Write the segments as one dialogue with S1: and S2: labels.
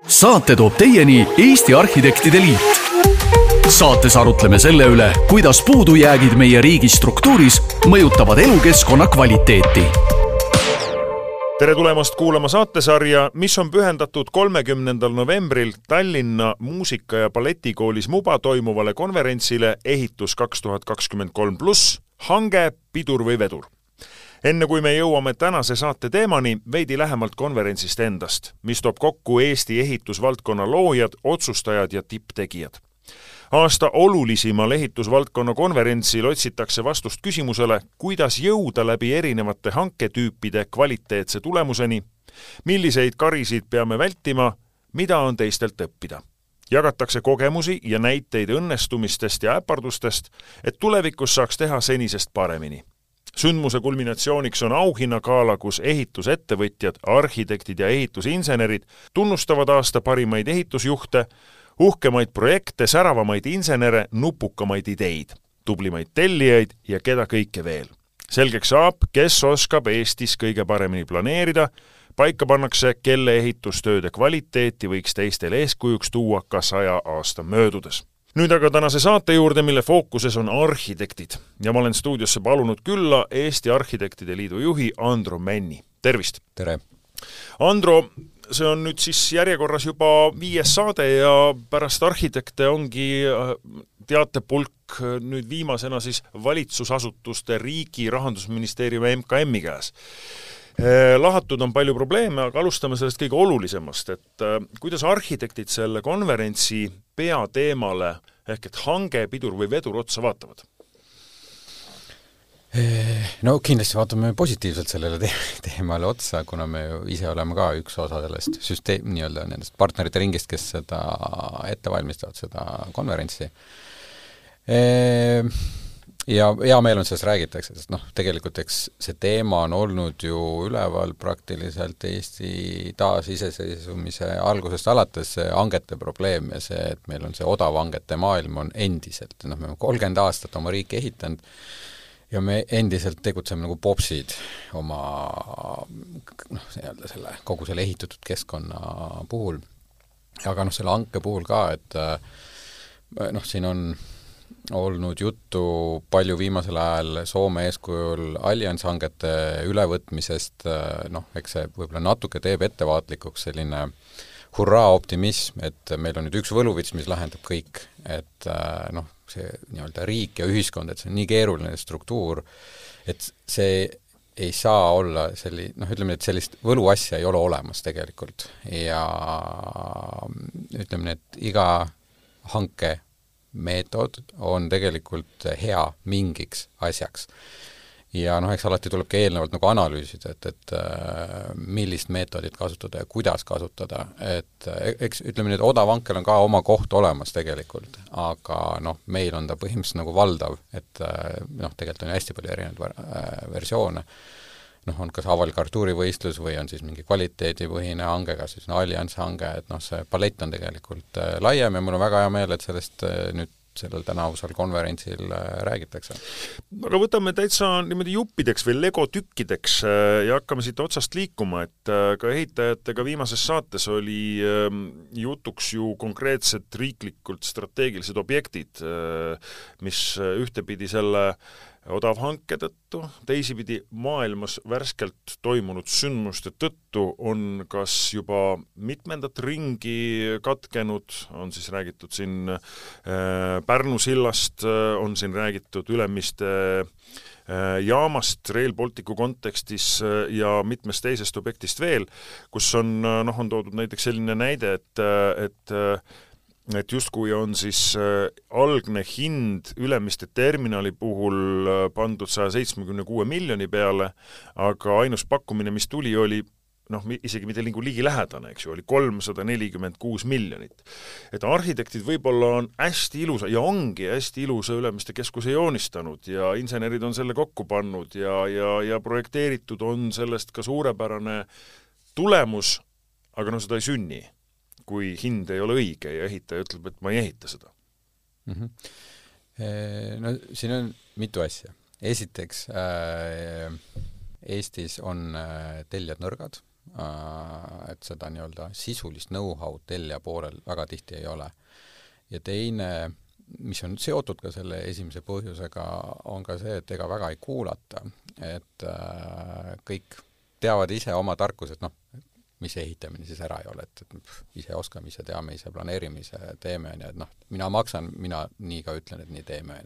S1: Saate toob teieni Eesti Arhitektide Liit. Saates arutleme selle üle, kuidas puudujäägid meie riigi struktuuris mõjutavad elukeskkonna kvaliteeti.
S2: Tere tulemast kuulama saatesarja, mis on pühendatud 30. novembril Tallinna muusika- ja balletikoolis MUBA toimuvale konverentsile Ehitus 2023+, hange, pidur või vedur. Enne kui me jõuame tänase saate teemani, veidi lähemalt konverentsist endast, mis toob kokku Eesti ehitusvaldkonna loojad, otsustajad ja tipptegijad. Aasta olulisemal ehitusvaldkonna konverentsil otsitakse vastust küsimusele, kuidas jõuda läbi erinevate hanketüüpide kvaliteetse tulemuseni, milliseid karisid peame vältima, mida on teistelt õppida. Jagatakse kogemusi ja näiteid õnnestumistest ja äpardustest, et tulevikus saaks teha senisest paremini. Sündmuse kulminatsiooniks on auhinnagaala, kus ehitusettevõtjad, arhitektid ja ehitusinsenerid tunnustavad aasta parimaid ehitusjuhte, uhkemaid projekte, säravamaid insenere, nupukamaid ideid, tublimaid tellijaid ja keda kõike veel. Selgeks saab, kes oskab Eestis kõige paremini planeerida, paika pannakse, kelle ehitustööde kvaliteeti võiks teistele eeskujuks tuua ka 100 aasta möödudes. Nüüd aga tänase saate juurde, mille fookuses on arhitektid ja ma olen stuudiosse palunud külla Eesti Arhitektide Liidu juhi Andro Männi. Tervist!
S3: Tere!
S2: Andro, see on nüüd siis järjekorras juba 5. saade ja pärast arhitekte ongi teatepulk nüüd viimasena siis valitsusasutuste riigi Rahandusministeeriumi MKM-i käes. Lahatud on palju probleeme, aga alustame sellest kõige olulisemast, et kuidas arhitektid selle konverentsi peateemale ehk et hange, pidur või vedur otsa vaatavad?
S3: No kindlasti vaatame positiivselt sellele teemale otsa, kuna me ju ise oleme ka üks osa sellest nendest partnerite ringist, kes seda ette valmistavad, seda konverentsi. Ja hea meel on sellest räägitakse, sest tegelikult see teema on olnud ju üleval praktiliselt Eesti taasiseseisvumise algusest alates see hangete probleem ja see, et meil on see odav hangete maailm on endiselt. Me oleme 30 aastat oma riiki ehitanud ja me endiselt tegutseme nagu popsid oma kogu selle ehitatud keskkonna puhul. Aga selle hanke puhul ka, et siin on olnud juttu palju viimasel ajal Soome eeskujul allianshangete ülevõtmisest, eks see võib-olla natuke teeb ettevaatlikuks selline hurraa optimism, et meil on nüüd üks võluvits, mis lahendab kõik, et see nii-öelda riik ja ühiskond, et see on nii keeruline struktuur, et see ei saa olla ütleme, et sellist võluasja ei ole olemas tegelikult ja ütleme, et iga hanke meetod on tegelikult hea mingiks asjaks. Ja eks alati tuleb ka eelnevalt analüüsida, et millist meetodit kasutada ja kuidas kasutada. Et eks ütleme, et odav hankel on ka oma koht olemas tegelikult, aga meil on ta põhimõtteliselt valdav, et tegelikult on hästi palju erinevaid versioone. On kas avalik artuurivõistlus või on siis mingi kvaliteedipõhine hange, kas siis allianshange, et see palett on tegelikult laiem ja mul on väga hea meel, et sellest nüüd sellel tänavusel konverentsil räägitakse.
S2: Aga võtame täitsa niimoodi juppideks või legotükkideks ja hakkame siit otsast liikuma, et ka ehitajatega viimases saates oli jutuks ju konkreetsed riiklikult strateegilised objektid, mis ühtepidi selle odav hanke tõttu, teisipidi maailmas värskelt toimunud sündmuste tõttu on kas juba mitmendat ringi katkenud, on siis räägitud siin Pärnu sillast, on siin räägitud Ülemiste jaamast Rail Balticu kontekstis ja mitmest teisest objektist veel, kus on toodud näiteks selline näide, et justkui on siis algne hind Ülemiste terminali puhul pandud 176 miljoni peale, aga ainus pakkumine, mis tuli, oli isegi mitte ligi lähedane, eks ju, oli 346 miljonit. Et arhitektid võib-olla on hästi ilusa ja ongi hästi ilusa Ülemiste keskuse joonistanud ja insenerid on selle kokku pannud ja projekteeritud on sellest ka suurepärane tulemus, aga seda ei sünni, kui hind ei ole õige ja ehitaja ütleb, et ma ei ehita seda.
S3: Siin on mitu asja. Esiteks, Eestis on tellijad nõrgad, et seda nii-öelda sisulist know-how tellija poolel väga tihti ei ole. Ja teine, mis on seotud ka selle esimese põhjusega, on ka see, et ega väga ei kuulata, et kõik teavad ise oma tarkused, noh, mis ehitamine siis ära ei ole, et ise oskame, ise teame, ise planeerime, ise teeme, et noh, mina maksan, mina nii ka ütlen, et nii teeme.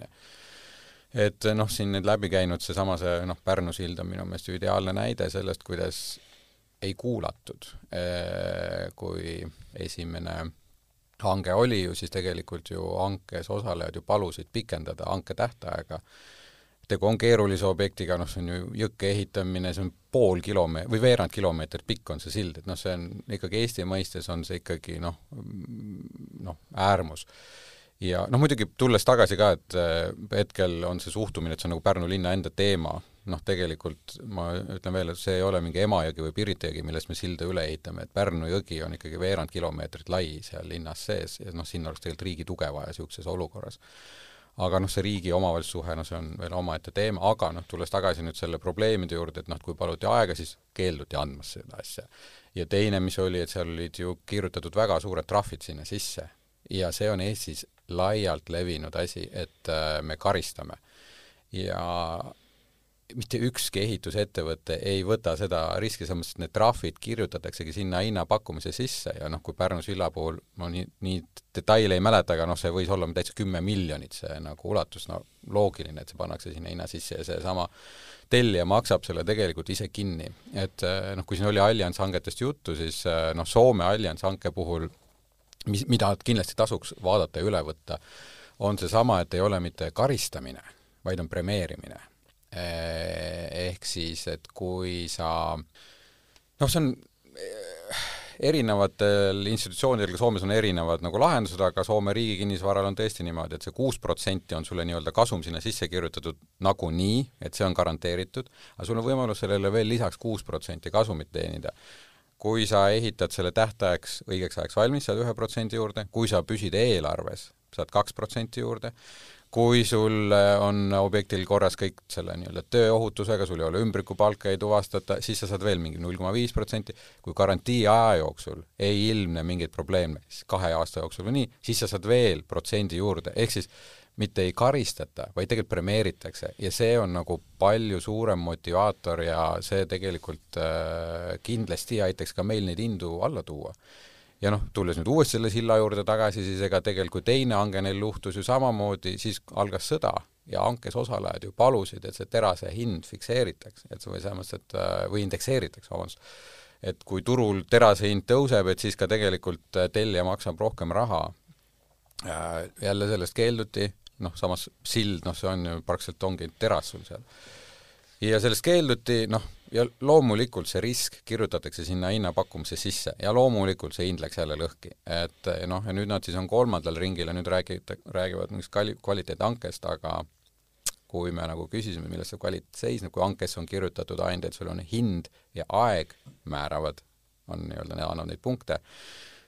S3: Et noh, siin nüüd läbi käinud seesama Pärnu sild on minu meelest ideaalne näide sellest, kuidas ei kuulatud. Kui esimene hange oli ju, siis tegelikult ju hankes osalejad ju palusid pikendada hanke tähtaega. Tegu on keerulise objektiga, noh, see on ju jõkke ehitamine, see on pool kilomeetrit või veerand kilomeetrit pikk on see sild, et noh, see on ikkagi Eesti mõistes on see ikkagi äärmus. Ja noh, muidugi tulles tagasi ka, et hetkel on see suhtumine, et see on nagu Pärnu linna enda teema, noh, tegelikult ma ütlen veel, et see ei ole mingi Emajõgi või Pirita jõgi, millest me silda üle ehitame, et Pärnu jõgi on ikkagi veerand kilomeetrit lai seal linnas sees ja noh, sinna oleks tegelikult riigi tuge vaja siukses olukorras. Aga noh, see riigi omavalitsussuhe, no see on veel omaette teema, aga noh, tulles tagasi nüüd selle probleemide juurde, et noh, kui paluti aega, siis keelduti andmas seda asja. Ja teine, mis oli, et seal olid ju kirjutatud väga suured trahvid sinna sisse ja see on Eestis laialt levinud asi, et me karistame. Ja mitte ükski ehitusettevõte ei võta seda riski, samas, et need trahvid kirjutataksegi sinna hinnapakkumise sisse ja noh, kui Pärnu silla puhul ma nii detaile ei mäleta, aga noh, see võis olla täitsa 10 miljonit see nagu ulatus, no loogiline, et see pannakse sinna hinna sisse ja see sama tellija maksab selle tegelikult ise kinni. Et noh, kui siin oli Allianz hangetest juttu, siis noh, Soome Allianz hanke puhul, mida kindlasti tasuks vaadata ja üle võtta, on see sama, et ei ole mitte karistamine, vaid on premeerimine. Ehk siis, et kui sa noh, see on erinevatel institutsioonidel, Soomes on erinevad nagu lahendused, aga Soome riigi kinnisvaral on tõesti niimoodi, et see 6% on sulle nii-öelda kasum sinna sisse kirjutatud nagu nii, et see on garanteeritud, aga sul on võimalus sellele veel lisaks 6% kasumit teenida. Kui sa ehitad selle tähtajaks õigeks ajaks valmis, saad 1% juurde, kui sa püsid eelarves, saad 2% juurde, kui sul on objektil korras kõik selle nii-öelda tööohutusega, sul ei ole ümbrikupalka ei tuvastata, siis sa saad veel mingi 0,5%, kui garantii aja jooksul ei ilmne mingeid probleeme, 2 aasta jooksul või nii, siis sa saad veel protsendi juurde, ehk siis mitte ei karistata, vaid tegelikult premeeritakse ja see on nagu palju suurem motivaator ja see tegelikult kindlasti aitaks ka meil neid hindu alla tuua. Ja noh, tulles nüüd uuesti selle silla juurde tagasi, siis ega tegelikult teine hange neil luhtus ju samamoodi, siis algas sõda ja hankes osalejad ju palusid, et see terase hind fikseeritakse, et või samas, et või indekseeritakse, et kui turul terase hind tõuseb, et siis ka tegelikult tellija maksab rohkem raha. Jälle sellest keelduti, noh, samas sild, noh, see on ju praktiliselt ongi teras sul seal. Ja sellest keelduti, noh, ja loomulikult see risk kirjutatakse sinna hinnapakkumise sisse ja loomulikult see hind läks jälle lõhki. Et noh, ja nüüd nad siis on 3. ringil ja nüüd räägivad mingist kvaliteethankest, aga kui me nagu küsisime, milles see kvaliteet seisneb, kui hankes on kirjutatud ainult, et sul on hind ja aeg määravad, on nii-öelda annavad neid punkte,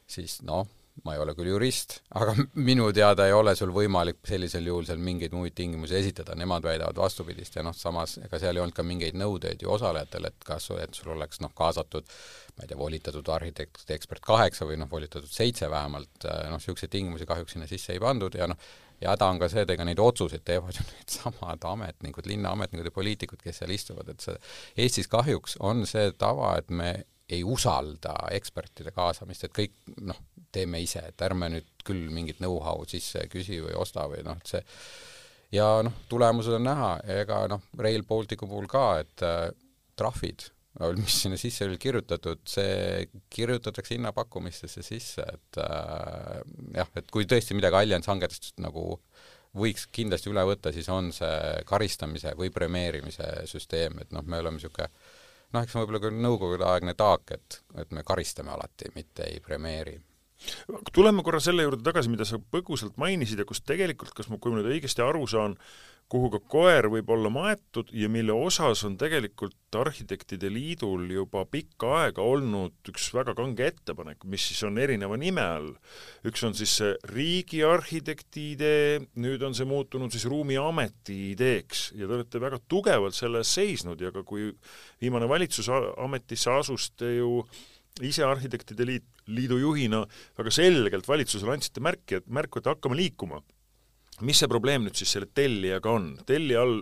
S3: siis noh, ma ei ole küll jurist, aga minu teada ei ole sul võimalik sellisel juhul seal mingeid muid tingimusi esitada, nemad väidavad vastupidist ja noh, samas ega seal ei olnud ka mingeid nõudeid ju osalejatel, et kas et sul oleks noh, kaasatud, ma ei tea, volitatud arhitekt, ekspert 8 või noh, volitatud 7 vähemalt, noh, selliseid tingimusi kahjuks sinna sisse ei pandud ja noh, ja häda on ka see, et ega neid otsuseid teevad ju need samad ametnikud, linnaametnikud ja poliitikud, kes seal istuvad, et see Eestis kahjuks on see tava, et me ei usalda ekspertide kaasamist, et kõik noh, teeme ise, et ärme nüüd küll mingit know-how sisse küsi või osta või noh, et see ja noh, tulemused on näha, ega noh, Rail Balticu puhul ka, et trahvid, mis sinna sisse oli kirjutatud, see kirjutatakse hinnapakkumistesse sisse, et jah, et kui tõesti midagi Allianz hangetest nagu võiks kindlasti üle võtta, siis on see karistamise või premeerimise süsteem, et noh, me oleme niisugune noh, eks võib-olla küll nõukogude aegne taak, et me karistame alati, mitte ei premeeri.
S2: Tuleme korra selle juurde tagasi, mida sa põgusalt mainisid ja kus tegelikult, kui ma nüüd õigesti aru saan, kuhu ka koer võib olla maetud ja mille osas on tegelikult Arhitektide Liidul juba pikka aega olnud üks väga kange ettepanek, mis siis on erineva nime all. Üks on siis see riigiarhitekti idee, nüüd on see muutunud siis ruumiameti ideeks ja te olete väga tugevalt selles seisnud ja ka kui viimane valitsus ametisse asus, te ju ise Arhitektide Liidu juhina väga selgelt valitsusele andsite märku, et hakkame liikuma. Mis see probleem nüüd siis selle tellijaga on? Tellija all,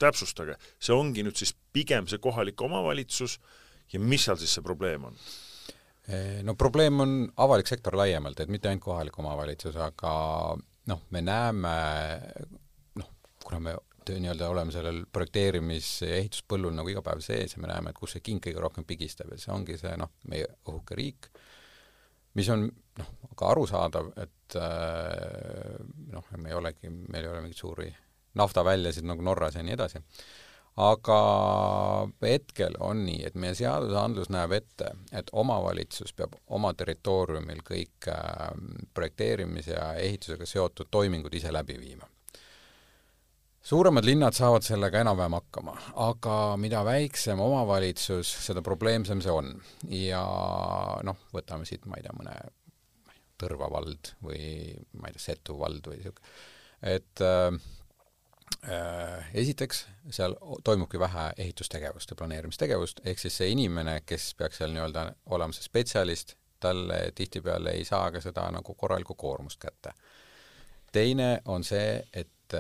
S2: täpsustage, see ongi nüüd siis pigem see kohalik omavalitsus ja mis seal siis see probleem on?
S3: No probleem on avalik sektor laiemalt, et mitte ainult kohalik omavalitsus, aga me näeme, kuna me nii-öelda oleme sellel projekteerimis- ja ehituspõllul nagu iga päev sees ja me näeme, et kus see king kõige rohkem pigistab ja see ongi see meie õhuke riik, mis on ka arusaadav, et meil ei ole mingit suuri naftaväljasid nagu Norras ja nii edasi. Aga hetkel on nii, et meie seadusandlus näeb ette, et omavalitsus peab oma territooriumil kõik projekteerimise ja ehitusega seotud toimingud ise läbi viima. Suuremad linnad saavad sellega enam-vähem hakkama, aga mida väiksem omavalitsus, seda probleemsem see on. Ja võtame siit, ma ei tea, mõne Tõrva vald või ma ei tea, Setu vald või siuke. Et esiteks, seal toimubki vähe ehitustegevust ja planeerimistegevust, ehk siis see inimene, kes peaks seal nii-öelda olema see spetsialist, talle tihtipeale ei saa ka seda nagu korralikku koormust kätte. Teine on see, et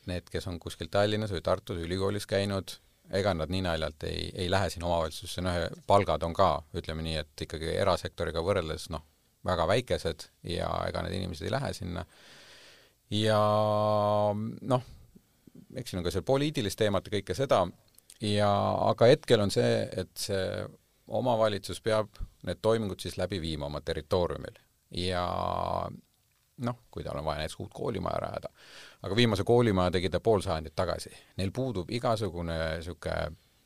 S3: need, kes on kuskil Tallinnas või Tartus ülikoolis käinud, ega nad nii naljalt ei lähe siin omavalitsusse, palgad on ka, ütleme nii, et ikkagi erasektoriga võrreldes väga väikesed ja ega need inimesed ei lähe sinna. Ja eks siin on ka seal poliitilist teemat ja kõike seda, aga hetkel on see, et see omavalitsus peab need toimingud siis läbi viima oma territooriumil ja kui tal on vaja näiteks uut koolimaja rajada. Aga viimase koolimaja tegi ta pool sajandit tagasi. Neil puudub igasugune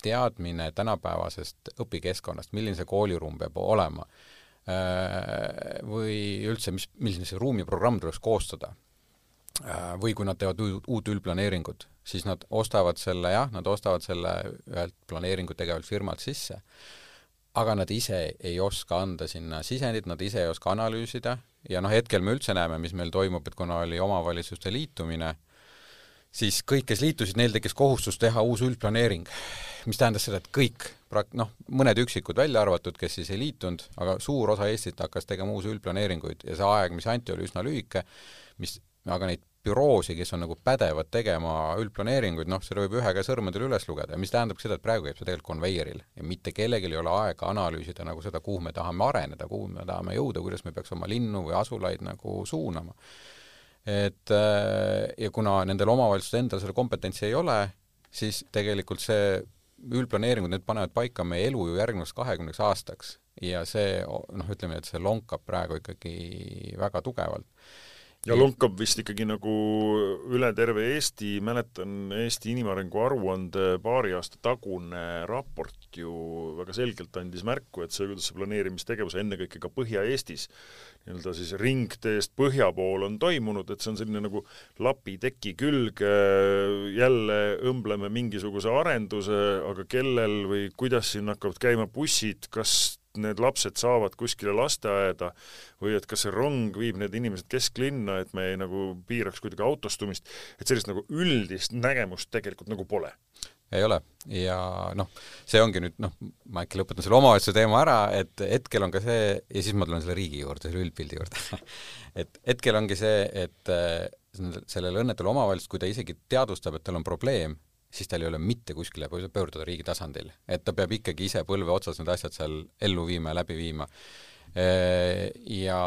S3: teadmine tänapäevasest õpikeskkonnast, milline see kooliruum peab olema või üldse, milline see ruumiprogramm tuleks koostada. Või kui nad teevad uut üldplaneeringut, siis nad ostavad selle ühelt planeeringut tegevalt firmalt sisse, aga nad ise ei oska anda sinna sisendit, nad ise ei oska analüüsida ja hetkel me üldse näeme, mis meil toimub, et kuna oli omavalitsuste liitumine, siis kõik, kes liitusid, neil tekkis kohustus teha uus üldplaneering, mis tähendas seda, et kõik, mõned üksikud välja arvatud, kes siis ei liitunud, aga suur osa Eestit hakkas tegema uusi üldplaneeringuid ja see aeg, mis anti, oli üsna lühike, aga neid büroosi, kes on nagu pädevad tegema üldplaneeringuid, seda võib ühe käe sõrmedel üles lugeda, mis tähendab seda, et praegu jääb see tegelikult konveieril ja mitte kellelgi ei ole aega analüüsida nagu seda, kuhu me tahame areneda, kuhu me tahame jõuda, kuidas me peaks oma linnu või asulaid nagu suunama. Ja kuna nendel omavalitsustel endal selle kompetentsi ei ole, siis tegelikult see üldplaneeringud, need panevad paika meie elu ju järgnevaks 20 aastaks ja see, ütleme, et see lonkab praegu ikkagi väga tugevalt.
S2: Ja lonkab vist ikkagi nagu üle terve Eesti, mäletan Eesti inimarengu aruande paari aasta tagune raport ju väga selgelt andis märku, et see, kuidas see planeerimistegevus ennekõike ka Põhja-Eestis nii-öelda siis ringteest põhja pool on toimunud, et see on selline nagu lapi teki külge, jälle õmbleme mingisuguse arenduse, aga kellel või kuidas siin hakkavad käima bussid, kas need lapsed saavad kuskile lasteaeda või et kas see rong viib need inimesed kesklinna, et me ei nagu piiraks kuidagi autostumist, et sellist nagu üldist nägemust tegelikult nagu pole.
S3: Ei ole ja see ongi nüüd, ma äkki lõpetan selle omavalitsuse teema ära, et hetkel on ka see, ja siis ma tulen selle riigi juurde, selle üldpildi juurde, et hetkel ongi see, et sellel õnnetul omavalitsus, kui ta isegi teadvustab, et tal on probleem, siis tal ei ole mitte kuskile pöörduda riigi tasandil. Et ta peab ikkagi ise põlve otsas need asjad seal ellu viima ja läbi viima. Ja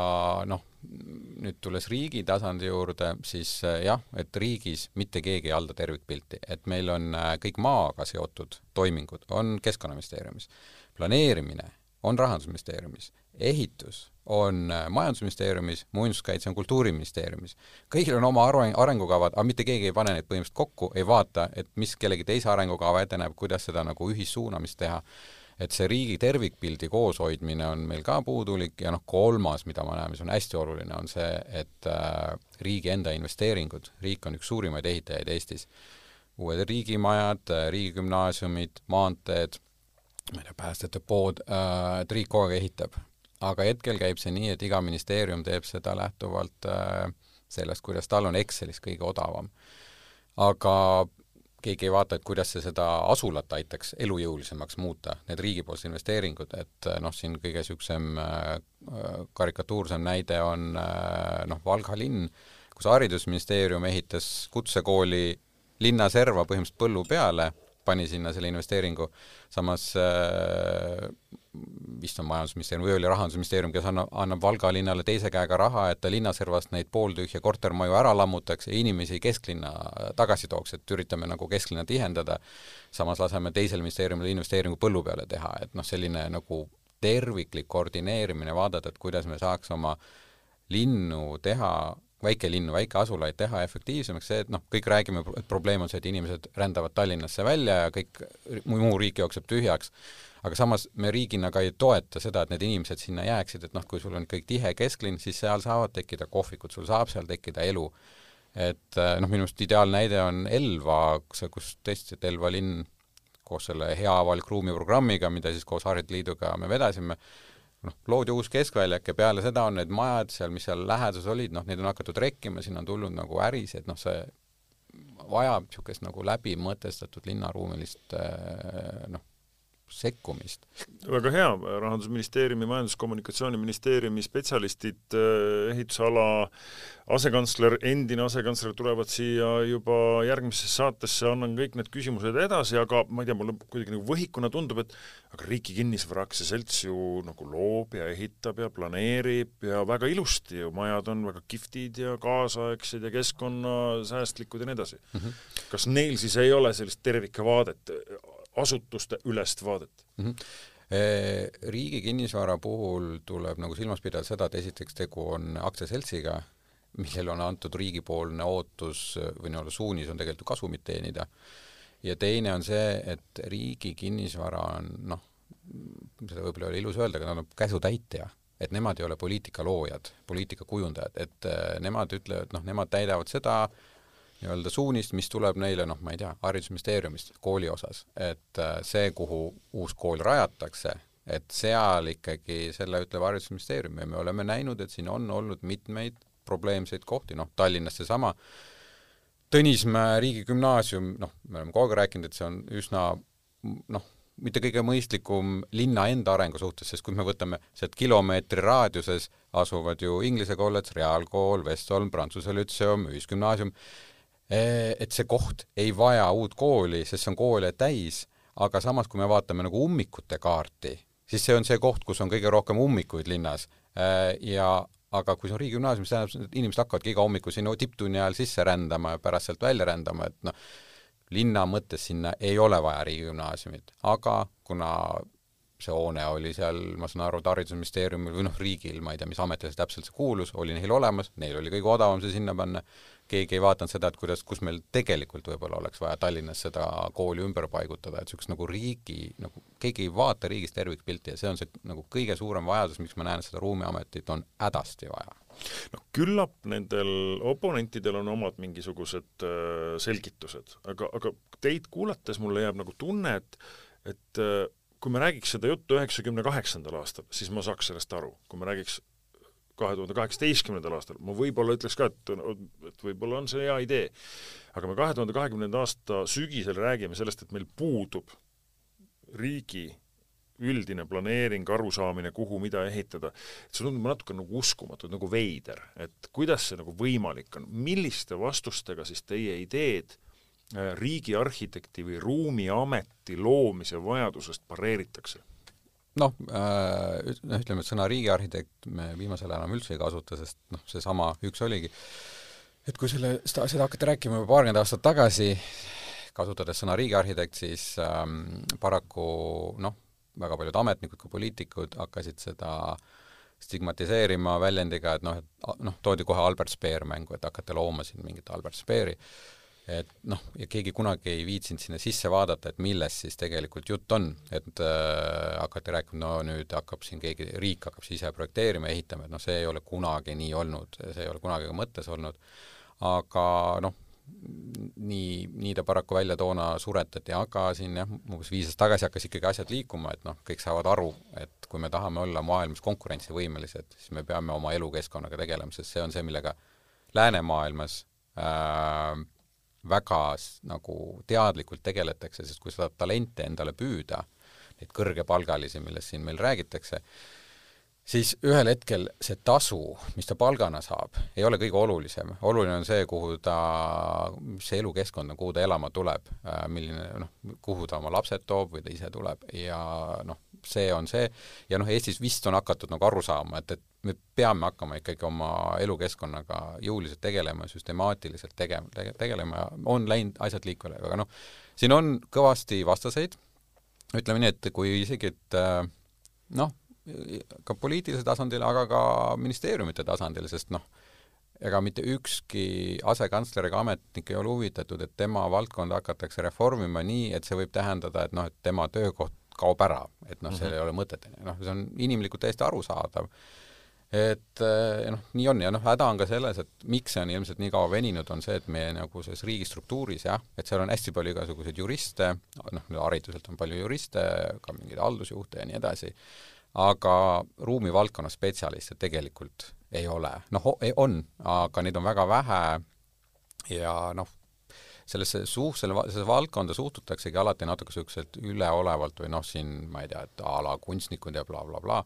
S3: nüüd tulles riigi tasandi juurde, siis et riigis mitte keegi ei halda tervikpilti. Et meil on kõik maaga seotud toimingud, on Keskkonnaministeeriumis. Planeerimine on Rahandusministeeriumis. Ehitus on Majandusministeeriumis, muinsuskaitse on Kultuuriministeeriumis. Kõigil on oma arengukavad, aga mitte keegi ei pane neid põhimõtteliselt kokku, ei vaata, et mis kellegi teise arengukava ette näeb, kuidas seda nagu ühissuunamist teha. et see riigi tervikpildi kooshoidmine on meil ka puudulik ja kolmas, mida ma näen, mis on hästi oluline, on see, et riigi enda investeeringud, riik on üks suurimaid ehitajaid Eestis, uued riigimajad, riigigümnaasiumid, maanteed, ma ei tea, päästjate pood, et riik kogu aeg ehitab. Aga hetkel käib see nii, et iga ministeerium teeb seda lähtuvalt sellest, kuidas tal on Excelis kõige odavam. Aga keegi ei vaata, et kuidas see seda asulat aitaks elujõulisemaks muuta, need riigipoolsed investeeringud, et siin kõige süksem karikatuursem näide on Valga linn, kus haridusministeerium ehitas kutsekooli linna serva põhimõtteliselt põllu peale, pani sinna selle investeeringu, samas vist on majandusministeerium või oli rahandusministeerium, kes annab Valga linnale teise käega raha, et ta linnaservast neid pooltühja kortermaju ära lammutaks ja inimesi kesklinna tagasi tooks, et üritame nagu kesklinna tihendada, samas laseme teisel ministeeriumile investeeringu põllu peale teha, et selline nagu terviklik koordineerimine vaadata, et kuidas me saaks oma linnu teha väikelinnu, väikeasulaid teha efektiivsemaks, see, et kõik räägime, et probleem on see, et inimesed rändavad Tallinnasse välja ja kõik muu riik jookseb tühjaks, aga samas me riigina ka ei toeta seda, et need inimesed sinna jääksid, et kui sul on kõik tihe kesklinn, siis seal saavad tekkida kohvikud, sul saab seal tekkida elu. Et minu arust ideaalnäide on Elva, kus tõesti, et Elva linn koos selle hea avalik ruumi programmiga, mida siis koos Haridusliiduga me vedasime, loodi uus keskväljak ja peale seda on need majad seal, mis seal lähedus olid, neid on hakatud rekkima, siin on tulnud nagu äris, et see vajab niisugust nagu läbimõtestatud linnaruumilist sekkumist.
S2: Väga hea, Rahandusministeeriumi, Majandus-Kommunikatsiooniministeeriumi spetsialistid, ehitusala asekantsler, endine asekantsler tulevad siia juba järgmisesse saatesse, annan kõik need küsimused edasi, aga ma ei tea, mulle kuidagi nagu võhikuna tundub, et aga Riigi Kinnisvaraaksia selts ju nagu loob ja ehitab ja planeerib ja väga ilusti ju, majad on väga kihvtid ja kaasaegsed ja keskkonnasäästlikud ja nii edasi. Kas neil siis ei ole sellist tervikvaadet, asutuste ülest vaadet?
S3: Riigi Kinnisvara puhul tuleb nagu silmas pidada seda, et esiteks tegu on aktsiaseltsiga, millel on antud riigipoolne ootus või suunis on tegelikult kasumit teenida. Ja teine on see, et Riigi Kinnisvara on, seda võib-olla oli ilus öelda, aga nad on käsutäitja, et nemad ei ole poliitika loojad, poliitika kujundajad, et nemad ütlevad, nemad täidavad seda nii-öelda suunist, mis tuleb neile, ma ei tea, haridusministeeriumist kooli osas, et see, kuhu uus kool rajatakse, et seal ikkagi selle ütleb haridusministeerium ja me oleme näinud, et siin on olnud mitmeid probleemseid kohti, Tallinnas seesama Tõnismäe riigigümnaasium, me oleme kogu aeg rääkinud, et see on üsna, mitte kõige mõistlikum linna enda arengu suhtes, sest kui me võtame sealt kilomeetri raadiuses asuvad ju Inglise kollets, Reaalkool, Vestholm, Prantsuse Lütseum, Ühisgümnaasium, et see koht ei vaja uut kooli, sest see on koole täis, aga samas, kui me vaatame nagu ummikute kaarti, siis see on see koht, kus on kõige rohkem ummikuid linnas. Aga kui see on riigigümnaasium, siis tähendab, et inimesed hakkavadki iga hommiku sinna tipptunni ajal sisse rändama ja pärast sealt välja rändama, et linna mõttes sinna ei ole vaja riigigümnaasiumit. Aga kuna see hoone oli seal, ma saan aru, haridusministeeriumil või riigil, ma ei tea, mis ametile täpselt see kuulus, oli neil olemas, neil oli kõige odavam see sinna panna, keegi ei vaatanud seda, et kus meil tegelikult võib-olla oleks vaja Tallinnas seda kooli ümber paigutada, et niisugust nagu riigi, keegi ei vaata riigist tervikpilti ja see on see nagu kõige suurem vajadus, miks ma näen, et seda ruumiametit on hädasti vaja.
S2: Küllap nendel oponentidel on omad mingisugused selgitused, aga teid kuulates mulle jääb nagu tunne, et kui me räägiks seda juttu 98. aastal, siis ma saaks sellest aru. Kui me räägiks 2018. aastal, ma võib-olla ütleks ka, et võib-olla on see hea idee. Aga me 2020. aasta sügisel räägime sellest, et meil puudub riigi üldine planeering, arusaamine, kuhu mida ehitada. See tundub natuke nagu uskumatu, nagu veider. Et kuidas see nagu võimalik on? Milliste vastustega siis teie ideed riigiarhitekti või ruumiameti loomise vajadusest pareeritakse?
S3: Ütleme, et sõna riigiarhitekt me viimasel ajal üldse ei kasuta, sest see sama üks oligi. Et kui seda hakati rääkima juba paarkümmend aastat tagasi, kasutades sõna riigiarhitekt, siis paraku väga paljud ametnikud kui poliitikud hakkasid seda stigmatiseerima väljendiga, et toodi kohe Albert Speer mängu, et hakati looma siin mingit Albert Speeri. et noh, ja keegi kunagi ei viitsinud sinna sisse vaadata, et millest siis tegelikult jutt on, et hakati rääkima, no nüüd hakkab siin riik hakkab siis ise projekteerima ja ehitama, et noh, see ei ole kunagi nii olnud, see ei ole kunagi ka mõttes olnud, aga noh, nii ta paraku välja toona suretati, aga siin jah, umbes 5 aastat tagasi hakkas ikkagi asjad liikuma, et noh, kõik saavad aru, et kui me tahame olla maailmas konkurentsivõimelised, siis me peame oma elukeskkonnaga tegelema, sest see on see, millega läänemaailmas väga nagu teadlikult tegeletakse, sest kui seda talente endale püüda, neid kõrgepalgalisi, millest siin meil räägitakse, siis ühel hetkel see tasu, mis ta palgana saab, ei ole kõige olulisem. Oluline on see, mis see elukeskkond on, kuhu ta elama tuleb, kuhu ta oma lapsed toob või ta ise tuleb ja noh, see on see ja noh, Eestis vist on hakatud nagu aru saama, et me peame hakkama ikkagi oma elukeskkonnaga jõuliselt tegelema, süstemaatiliselt tegelema ja on läinud asjad liikvele, aga noh, siin on kõvasti vastaseid, ütleme nii, et kui isegi, et noh, ka poliitilisel tasandil, aga ka ministeeriumite tasandil, sest noh, ega mitte ükski asekantsler ega ametnik ei ole huvitatud, et tema valdkonda hakatakse reformima nii, et see võib tähendada, et noh, et tema töökoht kaob ära, et noh, seal ei ole mõtet. Noh, see on inimlikult täiesti arusaadav. Et noh, nii on ja noh, häda on ka selles, et miks see on ilmselt nii kaua veninud, on see, et meie nagu selles riigistruktuuris, jah, et seal on hästi palju igasuguseid juriste, noh, hariduselt on palju juriste, ka mingeid haldusjuhte ja nii edasi, aga ruumivaldkonna spetsialiste tegelikult ei ole. Noh, on, aga neid on väga vähe ja noh, sellesse valdkonda suhtutaksegi alati natuke selliselt üleolevalt või noh, siin ma ei tea, et ala kunstnikud ja bla, bla, bla.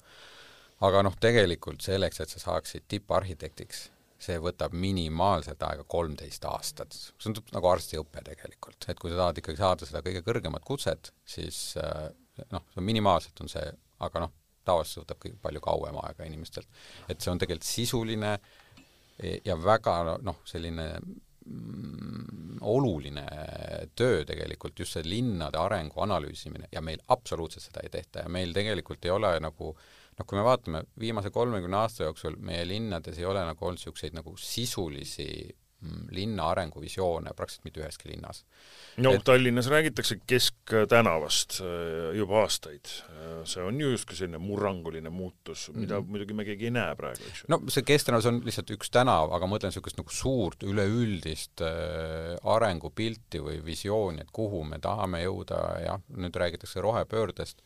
S3: Aga noh, tegelikult selleks, et sa saaksid tipparhitektiks, see võtab minimaalselt aega 13 aastat. See on nagu arstiõpe tegelikult. Et kui sa tahad ikkagi saada seda kõige kõrgemat kutset, siis noh, see on minimaalselt on see, aga noh, tavaliselt võtab palju kauem aega inimestelt. Et see on tegelikult sisuline ja väga noh, selline oluline töö tegelikult, just see linnade arengu analüüsimine ja meil absoluutselt seda ei tehta ja meil tegelikult ei ole nagu, noh, kui me vaatame viimase 30 aasta jooksul, meie linnades ei ole nagu olnud selliseid nagu sisulisi linna arenguvisioone praktiliselt mitte üheski linnas.
S2: No Tallinnas räägitakse Kesktänavast juba aastaid. See on justkui selline murranguline muutus, mida muidugi me keegi ei näe praegu. Eks?
S3: No see Kesktänavas on lihtsalt üks tänav, aga ma mõtlen sellist nagu suurt üleüldist arengupilti või visiooni, et kuhu me tahame jõuda ja nüüd räägitakse rohepöördest.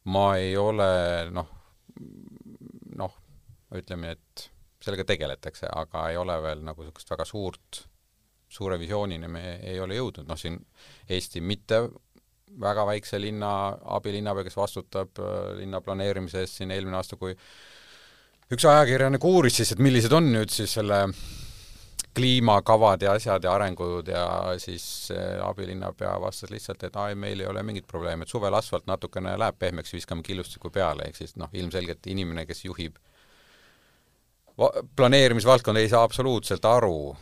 S3: Ma ei ole ütleme, et sellega tegeletakse, aga ei ole veel nagu sellist väga suure visioonini me ei ole jõudnud. Noh, siin Eesti mitte väga väikse linna abilinnapea, kes vastutab linna planeerimise eest siin eelmine aasta, kui üks ajakirjanik uuris siis, et millised on nüüd siis selle kliimakavad ja asjad ja arengud ja siis abilinnapea vastas lihtsalt, et meil ei ole mingit probleemi, et suvel asfalt natukene läheb pehmeks, viskame killustiku peale, ehk siis noh, ilmselgelt inimene, kes juhib planeerimisvaldkond ei saa absoluutselt aru,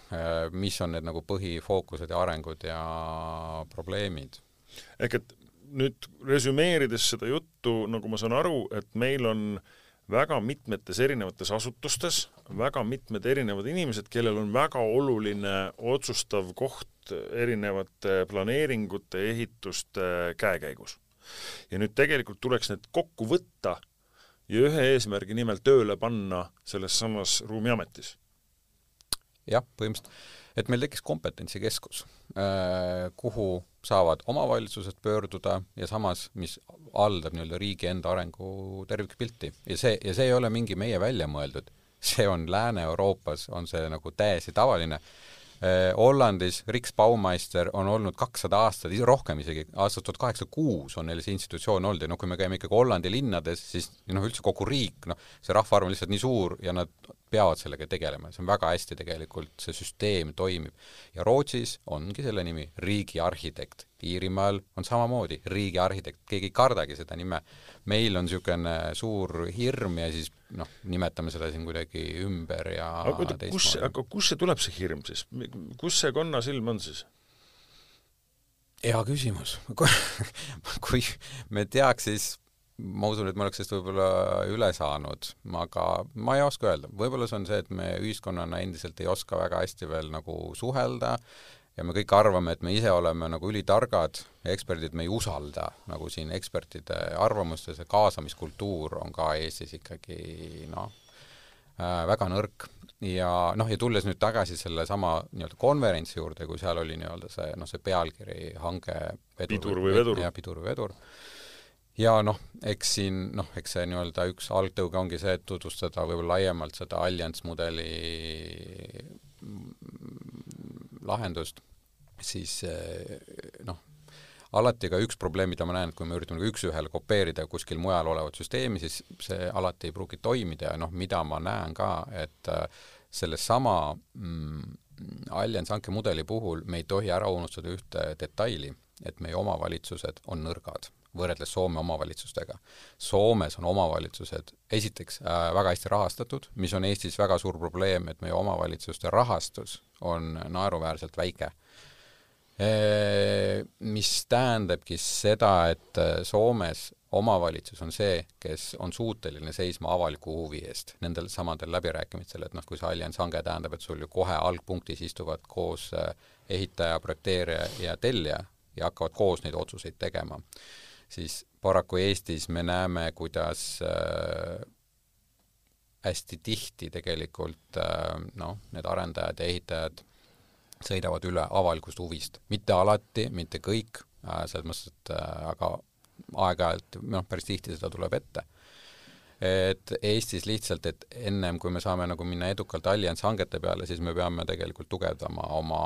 S3: mis on need nagu põhifookused ja arengud ja probleemid.
S2: Ehk et nüüd resümeerides seda juttu, nagu ma saan aru, et meil on väga mitmetes erinevates asutustes, väga mitmed erinevad inimesed, kellel on väga oluline otsustav koht erinevate planeeringute, ehituste käekäigus. Ja nüüd tegelikult tuleks need kokku võtta ja ühe eesmärgi nimel tööle panna selles samas ruumiametis.
S3: Jah, põhimõtteliselt, et meil tekkis kompetentsikeskus, kuhu saavad omavalitsused pöörduda ja samas, mis haldab nii-öelda riigi enda arengu tervikpilti. Ja see ei ole mingi meie välja mõeldud. See on Lääne-Euroopas, on see nagu täiesti tavaline. Hollandis Riks Baumeister on olnud 200 aastat, rohkem isegi, aastast 1806 on neil see institutsioon olnud ja kui me käime ikkagi Hollandi linnades, siis üldse kogu riik, see rahvaarv on lihtsalt nii suur ja nad peavad sellega tegelema. See on väga hästi tegelikult, see süsteem toimib. Ja Rootsis ongi selle nimi riigiarhitekt. Iirimaal on samamoodi riigiarhitekt, keegi ei kardagi seda nime. Meil on niisugune suur hirm ja siis nimetame seda siin kuidagi ümber ja
S2: aga kus see tuleb see hirm siis? Kus see konnasilm on siis?
S3: Hea küsimus. Kui me teaks, siis ma usun, et ma oleks sellest võib-olla üle saanud, aga ma ei oska öelda. Võib-olla see on see, et me ühiskonnana endiselt ei oska väga hästi veel nagu suhelda, ja me kõik arvame, et me ise oleme nagu ülitargad ja eksperdid me ei usalda nagu siin ekspertide arvamustes ja kaasamiskultuur on ka Eestis ikkagi väga nõrk ja ja tulles nüüd tagasi selle sama nii-öelda konverentsi juurde, kui seal oli nii-öelda see pealkiri hange
S2: Pidur või vedur.
S3: Ja Pidur või vedur. Ja eks siin, eks see nii-öelda üks algtõuge ongi see, et tutvustada võib-olla laiemalt seda Allianz mudeli lahendust, siis alati ka üks probleem, mida ma näen, et kui me üritame üks-ühele kopeerida kuskil mujal olevat süsteemi, siis see alati ei pruugi toimida ja mida ma näen ka, et sellesama Allianz hanke mudeli puhul me ei tohi ära unustada ühte detaili, et meie omavalitsused on nõrgad võrreldes Soome omavalitsustega. Soomes on omavalitsused esiteks väga hästi rahastatud, mis on Eestis väga suur probleem, et meie omavalitsuste rahastus on naeruväärselt väike. Mis tähendabki seda, et Soomes omavalitsus on see, kes on suuteline seisma avaliku huvi eest nendel samadel läbirääkimistel, et kui see Allianz hange tähendab, et sul ju kohe algpunktis istuvad koos ehitaja, projekteerija ja tellija ja hakkavad koos neid otsuseid tegema, siis paraku Eestis me näeme, kuidas hästi tihti tegelikult need arendajad ja ehitajad sõidavad üle avalikust huvist. Mitte alati, mitte kõik, selles mõttes, et aga aeg-ajalt, päris tihti seda tuleb ette. Et Eestis lihtsalt, et ennem kui me saame minna edukalt Allianz hangete peale, siis me peame tegelikult tugevdama oma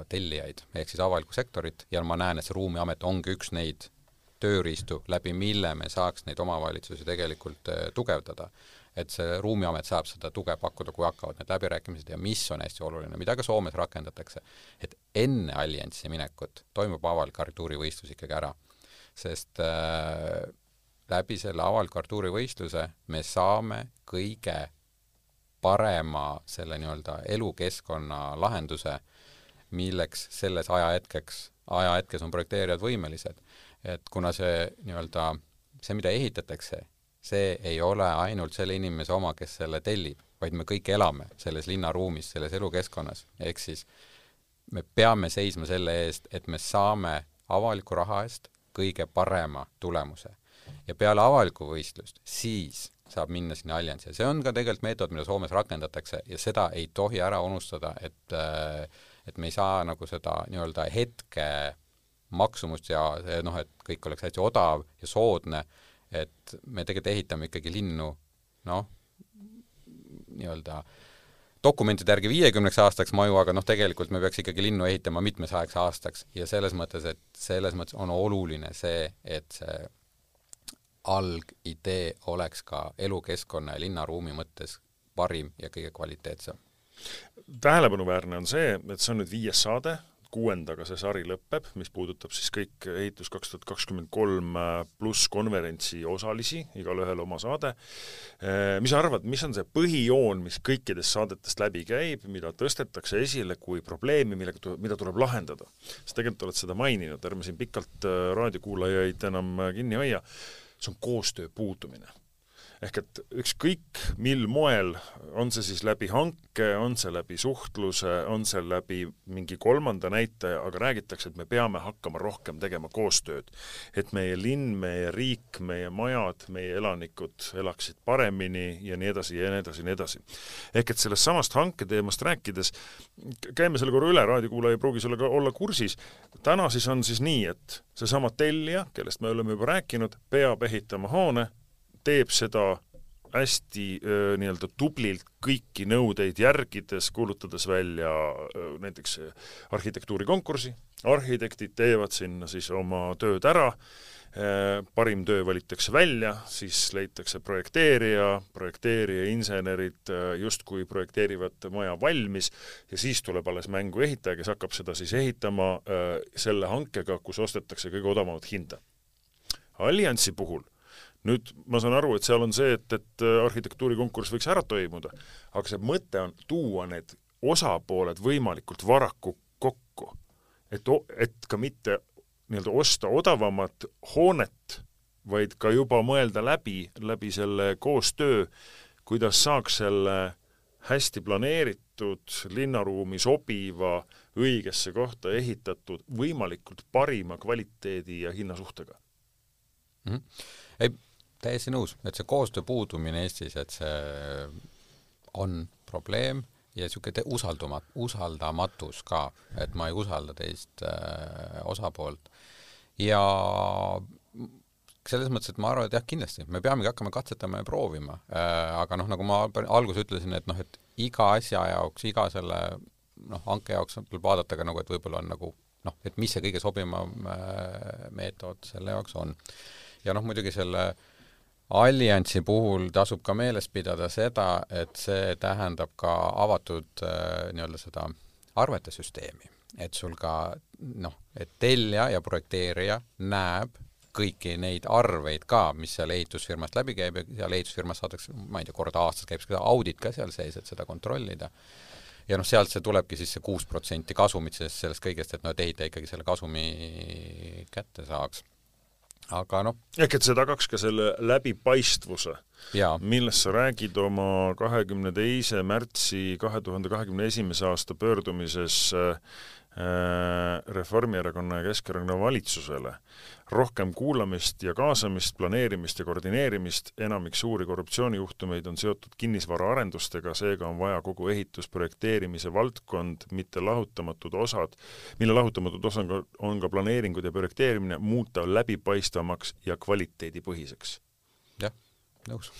S3: tellijaid, ehk siis avalikku sektorit ja ma näen, et see ruumiamet ongi üks neid tööriistu, läbi mille me saaks neid omavalitsusi tegelikult tugevdada. Et see ruumiamet saab seda tuge pakkuda, kui hakkavad need läbirääkimised ja mis on hästi oluline, mida ka Soomes rakendatakse, et enne Allianzi minekut toimub avalik arhitektuurivõistlus ikkagi ära. Sest läbi selle avaliku arhitektuurivõistluse me saame kõige parema selle nii-öelda elukeskkonna lahenduse, milleks selles ajahetkes on projekteerijad võimelised. Et kuna see nii-öelda, see mida ehitatakse, see ei ole ainult selle inimese oma, kes selle tellib, vaid me kõik elame selles linnaruumis, selles elukeskkonnas. Ehk siis me peame seisma selle eest, et me saame avaliku raha eest kõige parema tulemuse. Ja peale avaliku võistlust, siis saab minna sinna Allianzi. See on ka tegelikult meetod, mida Soomes rakendatakse ja seda ei tohi ära unustada, et me ei saa seda nii-öelda hetke maksumust ja et kõik oleks hästi odav ja soodne, et me tegelikult ehitame ikkagi linnu nii-öelda dokumentide järgi 50 aastaks maju, aga tegelikult me peaks ikkagi linnu ehitama mitmesajaks aastaks ja selles mõttes on oluline see, et see algidee oleks ka elukeskkonna ja linnaruumi mõttes parim ja kõige kvaliteetsem.
S2: Tähelepanuväärne on see, et see on nüüd 5. saade, 6. see sari lõpeb, mis puudutab siis kõik ehitus 2023 pluss konverentsi osalisi, igal ühel oma saade. Mis arvad, mis on see põhijoon, mis kõikidest saadetest läbi käib, mida tõstetakse esile kui probleemi, mida tuleb lahendada? Sest tegelikult oled seda maininud, ärme siin pikalt raadiokuulajaid enam kinni hoia. See on koostöö puudumine. Ehk et ükskõik mil moel, on see siis läbi hanke, on see läbi suhtluse, on see läbi mingi kolmanda näitaja, aga räägitakse, et me peame hakkama rohkem tegema koostööd. Et meie linn, meie riik, meie majad, meie elanikud elaksid paremini ja nii edasi ja nii edasi ja nii edasi. Ehk et sellest samast hanke teemast rääkides, käime selle korra üle, raadiokuulaja ei pruugi sellega olla kursis. Täna siis on siis nii, et seesama tellija, kellest me oleme juba rääkinud, peab ehitama hoone, teeb seda hästi nii-öelda tublilt kõiki nõudeid järgides, kuulutades välja näiteks arhitektuurikonkursi. Arhitektid teevad sinna siis oma tööd ära, parim töö valitakse välja, siis leitakse projekteerija, insenerid justkui projekteerivad maja valmis ja siis tuleb alles mängu ehitaja, kes hakkab seda siis ehitama selle hankega, kus ostetakse kõige odavamat hinda. Alliansi puhul nüüd ma saan aru, et seal on see, et arhitektuurikonkurss võiks ära toimuda, aga see mõte on tuua need osapooled võimalikult varaku kokku, et ka mitte nii-öelda osta odavamat hoonet, vaid ka juba mõelda läbi selle koostöö, kuidas saaks selle hästi planeeritud, linnaruumi sobiva, õigesse kohta ehitatud, võimalikult parima kvaliteedi ja hinnasuhtega.
S3: Ei, täiesti nõus, et see koostöö puudumine Eestis, et see on probleem ja niisugune usaldamatus ka, et ma ei usalda teist osapoolt. Ja selles mõttes, et ma arvan, et jah, kindlasti, me peamegi hakkama katsetama ja proovima, aga nagu ma alguses ütlesin, et et iga asja jaoks, iga selle hanke jaoks tuleb vaadata ka et võib-olla on et mis see kõige sobivam meetod selle jaoks on. Ja muidugi selle alliansi puhul tasub ka meeles pidada seda, et see tähendab ka avatud seda arvetesüsteemi, et sul ka et tellija ja projekteerija näeb kõiki neid arveid ka, mis seal ehitusfirmast läbi käib ja seal ehitusfirmas saadakse, ma ei tea, korda aastas käib seda audit ka seal sees, et seda kontrollida. Ja sealt see tulebki siis see 6% kasumit sellest kõigest, et ehitaja ikkagi selle kasumi kätte saaks. Aga
S2: ehk et see tagaks ka selle läbipaistvuse, millest sa räägid oma 22. märtsi 2021. aasta pöördumises Reformierakonna ja Keskerakonna valitsusele. Rohkem kuulamist ja kaasamist, planeerimist ja koordineerimist, enamik suuri korruptsioonijuhtumeid on seotud kinnisvaraarendustega, seega on vaja kogu ehitusprojekteerimise valdkond, mille lahutamatud osad on ka planeeringud ja projekteerimine, muuta läbipaistvamaks ja kvaliteedipõhiseks.
S3: Jah, nõus.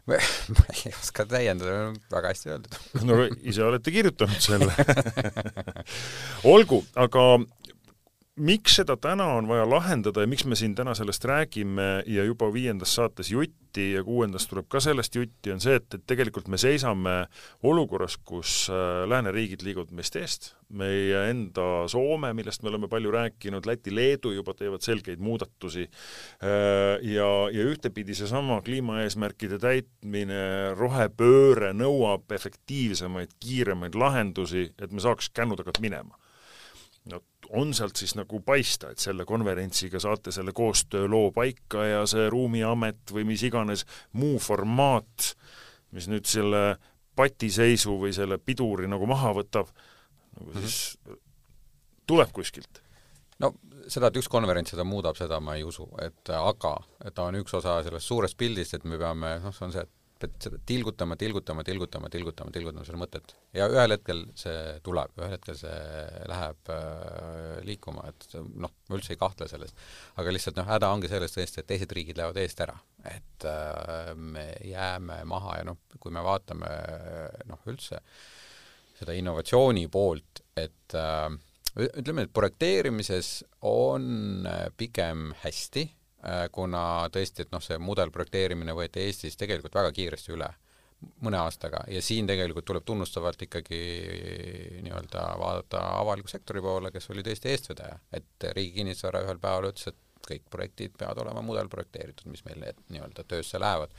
S3: Ma ei oska täiendada, väga hästi öeldud.
S2: Ise olete kirjutanud selle. Olgu, aga miks seda täna on vaja lahendada ja miks me siin täna sellest räägime ja juba 5. saates jutti ja 6. tuleb ka sellest jutti, on see, et tegelikult me seisame olukorras, kus lääneriigid liiguvad meist eest. Meie enda Soome, millest me oleme palju rääkinud, Läti, Leedu juba teevad selgeid muudatusi ja ühtepidi seesama kliimaeesmärkide täitmine, rohepööre nõuab efektiivsemaid, kiiremaid lahendusi, et me saaks kännutagalt minema. On sealt siis paista, et selle konverentsiga saate selle koostöö loo paika ja see ruumiamet või mis iganes muu formaat, mis nüüd selle patiseisu või selle piduri maha võtab, siis tuleb kuskilt.
S3: Seda, et üks konverents seda muudab, seda ma ei usu, aga ta on üks osa sellest suurest pildist, et me peame, see on see, et tilgutama selle mõtet. Ja ühel hetkel see tuleb, ühel hetkel see läheb liikuma, et ma üldse ei kahtle sellest. Aga lihtsalt häda ongi sellest tõesti, et teised riigid lähevad eest ära. Et me jääme maha ja kui me vaatame üldse seda innovatsiooni poolt, et ütleme, et projekteerimises on pigem hästi, kuna tõesti, et see mudelprojekteerimine võeti Eestis tegelikult väga kiiresti üle mõne aastaga ja siin tegelikult tuleb tunnustavalt ikkagi vaadata avaliku sektori poole, kes oli tõesti eestvedaja, et Riigi Kinnisvara ühel päeval ütles, et kõik projektid peavad olema mudelprojekteeritud, mis meil töösse lähevad.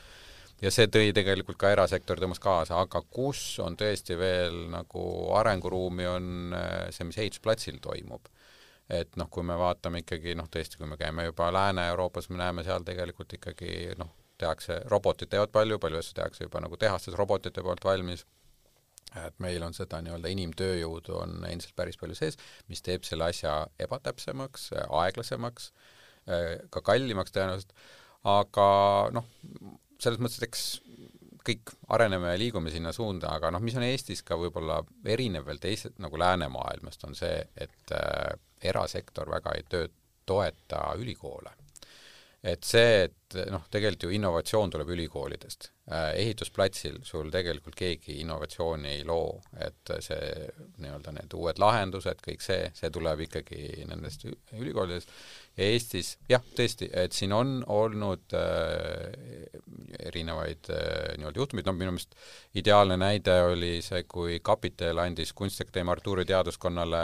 S3: Ja see tõi tegelikult ka erasektor tõmbas kaasa, aga kus on tõesti veel arenguruumi on see, mis ehitusplatsil toimub. Et kui me vaatame ikkagi, tõesti, kui me käime juba Lääne-Euroopas, me näeme seal tegelikult ikkagi, tehakse, robotid teevad palju asju tehakse juba tehastes robotite poolt valmis, et meil on seda inimtööjõudu on endiselt päris palju sees, mis teeb selle asja ebatäpsemaks, aeglasemaks, ka kallimaks tõenäoliselt, aga selles mõttes, eks kõik areneme ja liigume sinna suunda, aga mis on Eestis ka võib-olla erinev veel teised läänemaailmast on see, et erasektor väga ei toeta ülikoole. Et see, et tegelikult ju innovatsioon tuleb ülikoolidest. Ehitusplatsil sul tegelikult keegi innovatsiooni ei loo, et see need uued lahendused, kõik see tuleb ikkagi nendest ülikoolidest. Ja Eestis, jah, tõesti, et siin on olnud erinevaid juhtumid, minu meelest ideaalne näide oli see, kui Kapitel andis Kunstiakadeemia Artuuri teaduskonnale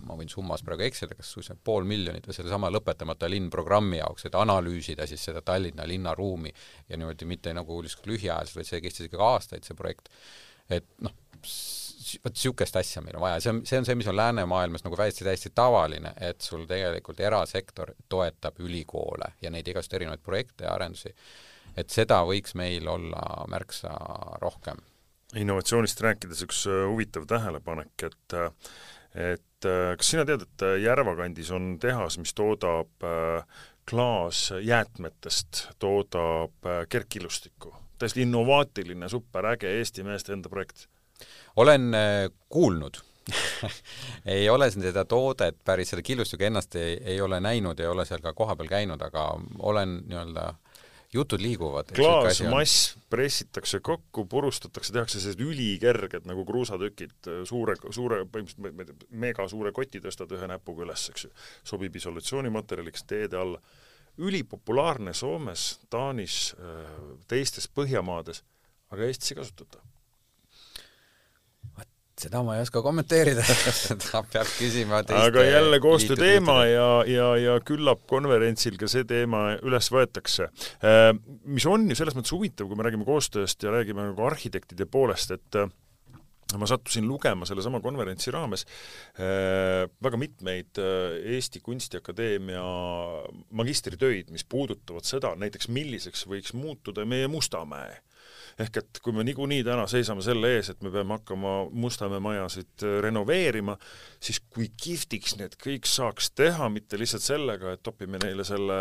S3: ma võin summas praegu eksida, kas 500 000 või selle sama lõpetamata linnprogrammi jaoks, et analüüsida siis seda Tallinna linnaruumi ja niimoodi mitte lühiajaliselt, vaid see kestis ikkagi aastaid, see projekt. Et siukest asja meil on vaja. See on see, mis on läänemaailmas täiesti tavaline, et sul tegelikult erasektor toetab ülikoole ja neid igast erinevaid projekte ja arendusi. Et seda võiks meil olla märksa rohkem.
S2: Innovatsioonist rääkides üks huvitav tähelepanek, et kas sina tead, et Järvakandis on tehas, mis toodab klaasjäätmetest, toodab kergkillustikku? Täiesti innovaatiline, superäge Eesti meeste enda projekt.
S3: Olen kuulnud. Ei ole seda toodet päris selle killustuga ennast ei ole näinud, ei ole seal ka kohapeal käinud, aga olen jutud liiguvad.
S2: Klaasmass pressitakse kokku, purustatakse, tehakse sellised ülikerged nagu kruusatükid, mega suure koti tõstad ühe näpuga üles, eks ju. Sobib isolatsioonimaterjaliks teede alla. Ülipopulaarne Soomes, Taanis, teistes Põhjamaades, aga Eestis ei kasutata.
S3: Seda ma ei oska kommenteerida. Seda peab küsima teiste.
S2: Aga jälle koostöö teema ja küllap konverentsil ka see teema üles võetakse. Mis on ju selles mõttes huvitav, kui me räägime koostööst ja räägime nagu arhitektide poolest, et ma sattusin lugema selle sama konverentsi raames väga mitmeid Eesti Kunstiakadeemia magistritöid, mis puudutavad seda, näiteks milliseks võiks muutuda meie Mustamäe. Ehk et kui me niikuinii täna seisame selle ees, et me peame hakkama Mustamäe majasid renoveerima, siis kui kihvtiks need kõik saaks teha, mitte lihtsalt sellega, et topime neile selle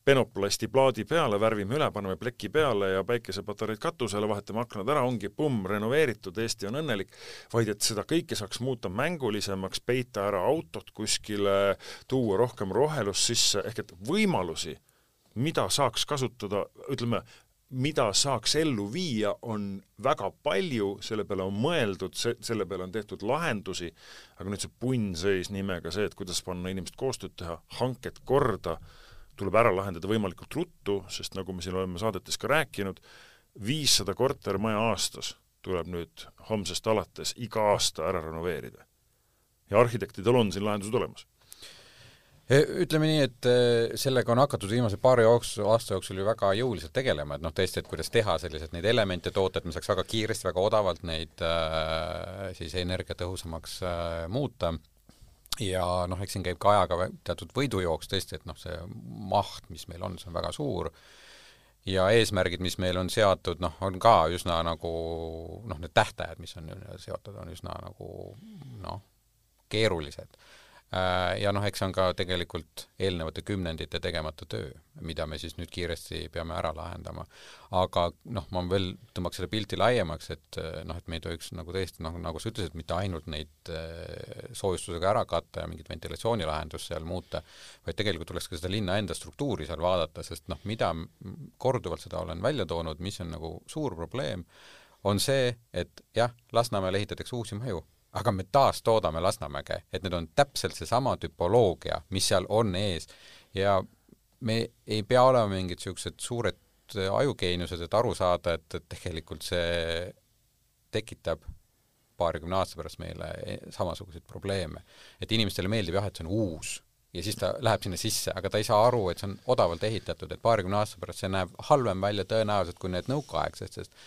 S2: penoplasti plaadi peale, värvime üle, paneme pleki peale ja päikesepatareid katusele, vahetame aknad ära, ongi renoveeritud, Eesti on õnnelik, vaid et seda kõike saaks muuta mängulisemaks, peita ära autot kuskile, tuua rohkem rohelust sisse, ehk et võimalusi, mida saaks kasutada, ütleme, mida saaks ellu viia, on väga palju, selle peale on mõeldud, selle peale on tehtud lahendusi, aga nüüd see punnseis nimega see, et kuidas panna inimesed koostööd teha, hanked korda, tuleb ära lahendada võimalikult ruttu, sest nagu me siin oleme saadetes ka rääkinud, 500 kortermaja aastas tuleb nüüd homsest alates iga aasta ära renoveerida. Ja arhitektidel on siin lahendused olemas.
S3: Ütleme nii, et sellega on hakatud viimase paari aasta jooksul ju väga jõuliselt tegelema, et tõesti, et kuidas teha sellised neid elemente toota, et me saaks väga kiiresti, väga odavalt neid siis energiatõhusamaks muuta. Ja eks siin käib ka ajaga teatud võidujooks tõesti, et see maht, mis meil on, see on väga suur. Ja eesmärgid, mis meil on seatud, on ka üsna nagu, need tähtajad, mis on seotud, on üsna nagu keerulised. Ja eks on ka tegelikult eelnevate kümnendite tegemata töö, mida me siis nüüd kiiresti peame ära lahendama. Aga ma veel tõmbaks selle pilti laiemaks, et me ei tohiks nagu tõesti, nagu sa ütlesid, mitte ainult neid soojustusega ära katta ja mingit ventilatsioonilahendust seal muuta, vaid tegelikult tuleks ka seda linna enda struktuuri seal vaadata, sest mida korduvalt seda olen välja toonud, mis on nagu suur probleem, on see, et jah, Lasnamäele ehitatakse uusi maju, aga me taas toodame Lasnamäge, et need on täpselt see sama tüpoloogia, mis seal on ees ja me ei pea olema mingid sellised suured ajugeeniused, et aru saada, et tegelikult see tekitab 20 aasta pärast meile samasuguseid probleeme. Et inimestele meeldib jah, et see on uus ja siis ta läheb sinna sisse, aga ta ei saa aru, et see on odavalt ehitatud, et 20 aasta pärast see näeb halvem välja tõenäoliselt kui need nõukaaegsed, sest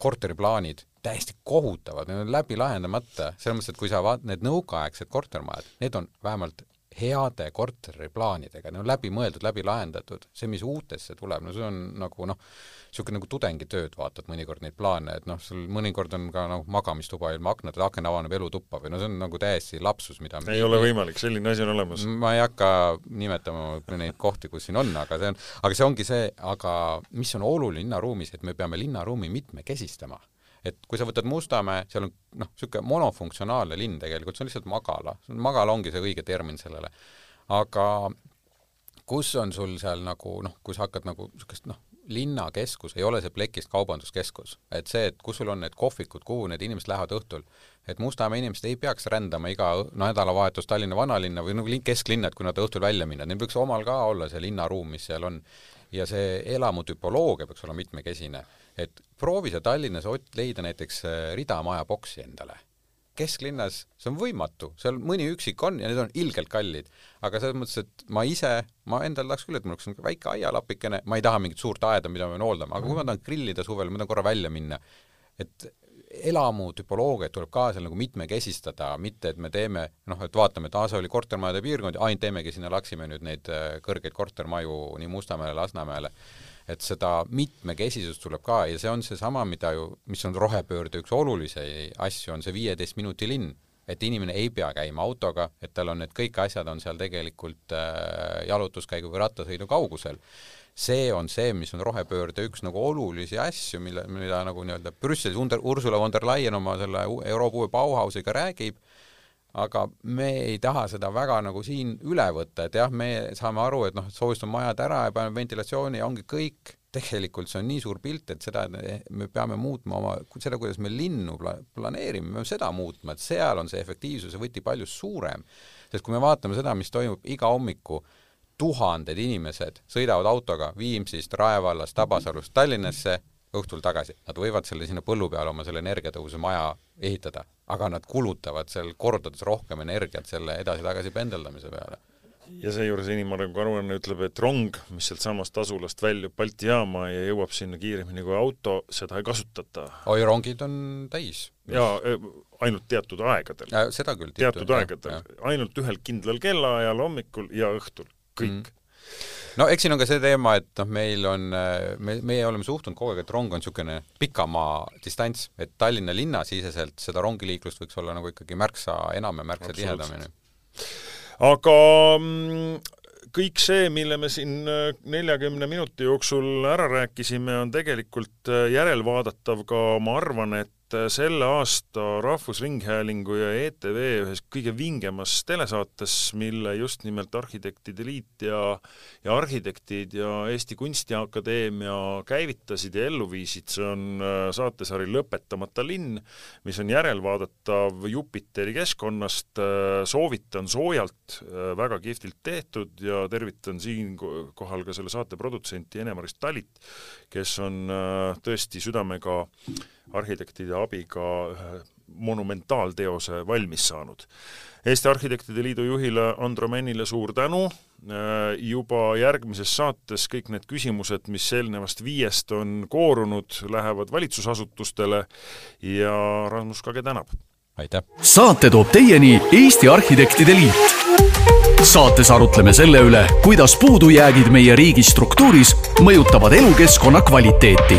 S3: korteriplaanid täiesti kohutavad, need on läbi lahendamata, selles mõttes, et kui sa need nõukaaegsed kortermajad, need on vähemalt heade korteriplaanidega, need on läbi mõeldud, läbi lahendatud, see, mis uutesse tuleb, see on nagu niisugune nagu tudengitööd, vaatad mõnikord neid plaane, et sul mõnikord on ka magamistuba ilma aknad, et aken avaneb elutuppa või see on nagu täiesti lapsus, mida
S2: ei ole võimalik, selline asi on olemas.
S3: Ma ei hakka nimetama neid kohti, kus siin on, aga see ongi see, aga mis on oluline linnaruumis, et me peame linnaruumi mitmekesistama. Et kui sa võtad Mustamäe, seal on selline monofunktsionaalne linn tegelikult, see on lihtsalt magala. Magala ongi see õige termin sellele. Aga kus on sul seal nagu, kui sa hakkad nagu sellisest, linnakeskus, ei ole see plekist kaubanduskeskus. Et see, et kus sul on need kohvikud, kuhu need inimesed lähevad õhtul, et Mustamäe inimesed ei peaks rändama iga nädalavahetus Tallinna vanalinna või nagu kesklinna, et kui nad õhtul välja minna. Neil võiks omal ka olla see linnaruum, mis seal on. Ja see elamutüpoloogia peaks olla mitmekesine. Et proovi sa Tallinnas leida näiteks ridamaja boksi endale. Kesklinnas see on võimatu, seal mõni üksik on ja need on ilgelt kallid, aga selles mõttes, et ma endal tahaks küll, et mul oleks väike aialapikene, ma ei taha mingit suurt aeda, mida ma pean hooldama, aga kui ma tahan grillida suvel, ma tahan korra välja minna, et elamutüpoloogia tuleb ka seal nagu mitmekesistada, mitte et me teeme, et vaatame, et see oli kortermajade piirkond ja ainult teemegi sinna Laksime nüüd neid kõrgeid kortermaju nii Mustamäele, Lasnamäele. et seda mitmekesisust tuleb ka ja see on see sama, mis on rohepöörde üks olulisi asju, on see 15 minuti linn, et inimene ei pea käima autoga, et tal on need kõik asjad on seal tegelikult jalutuskäigu või rattasõidu kaugusel. See on see, mis on rohepöörde üks nagu olulisi asju, mida nagu nii-öelda Brüsselis Ursula von der Leyen oma selle Euroopa uue Bauhausiga räägib, aga me ei taha seda väga nagu siin üle võtta, et jah, me saame aru, et soojustame majad ära ja paneme ventilatsiooni ja ongi kõik. Tegelikult see on nii suur pilt, et seda me peame muutma seda, kuidas me linnu planeerime, me peame seda muutma, et seal on see efektiivsuse võti palju suurem. Sest kui me vaatame seda, mis toimub iga hommiku, 1000 inimesed sõidavad autoga Viimsist, Raevallast, Tabasalust Tallinnasse õhtul tagasi. Nad võivad selle sinna põllu peale oma selle energiatõuse maja ehitada, aga nad kulutavad seal kordades rohkem energiat selle edasi-tagasi pendeldamise peale.
S2: Ja seejuures inimarengu aruanne ütleb, et rong, mis sealt samast asulast väljub Balti jaama ja jõuab sinna kiiremini kui auto, seda ei kasutata.
S3: Oi, rongid on täis.
S2: Ja ainult teatud aegadel.
S3: Seda küll.
S2: Teatud aegadel. Ainult ühel kindlal kellaajal hommikul ja õhtul. Kõik.
S3: No eks siin on ka see teema, et meie oleme suhtunud kogu aeg, et rong on niisugune pikamaa distants, et Tallinna linna siseselt seda rongiliiklust võiks olla nagu ikkagi märksa enam ja märksa tihedamini.
S2: Aga kõik see, mille me siin 40 minuti jooksul ära rääkisime, on tegelikult järelvaadatav ka, ma arvan, et selle aasta Rahvusringhäälingu ja ETV ühes kõige vingemas telesaates, mille just nimelt Arhitektide Liit ja arhitektid ja Eesti Kunstiakadeemia käivitasid ja ellu viisid. See on saatesari Lõpetamata linn, mis on järelvaadatav Jupiteri keskkonnast. Soovitan soojalt, väga kihvtilt tehtud ja tervitan siin kohal ka selle saate produtsenti Ene-Maris Talit, kes on tõesti südamega arhitektide abiga monumentaalteose valmis saanud. Eesti Arhitektide Liidu juhile Andro Männile suur tänu. Juba järgmises saates kõik need küsimused, mis eelnevast 5 on koorunud, lähevad valitsusasutustele ja Rasmus Kage tänab.
S3: Aitäh!
S1: Saate toob teieni Eesti Arhitektide Liit. Saates arutleme selle üle, kuidas puudujäägid meie riigi struktuuris mõjutavad elukeskkonna kvaliteeti.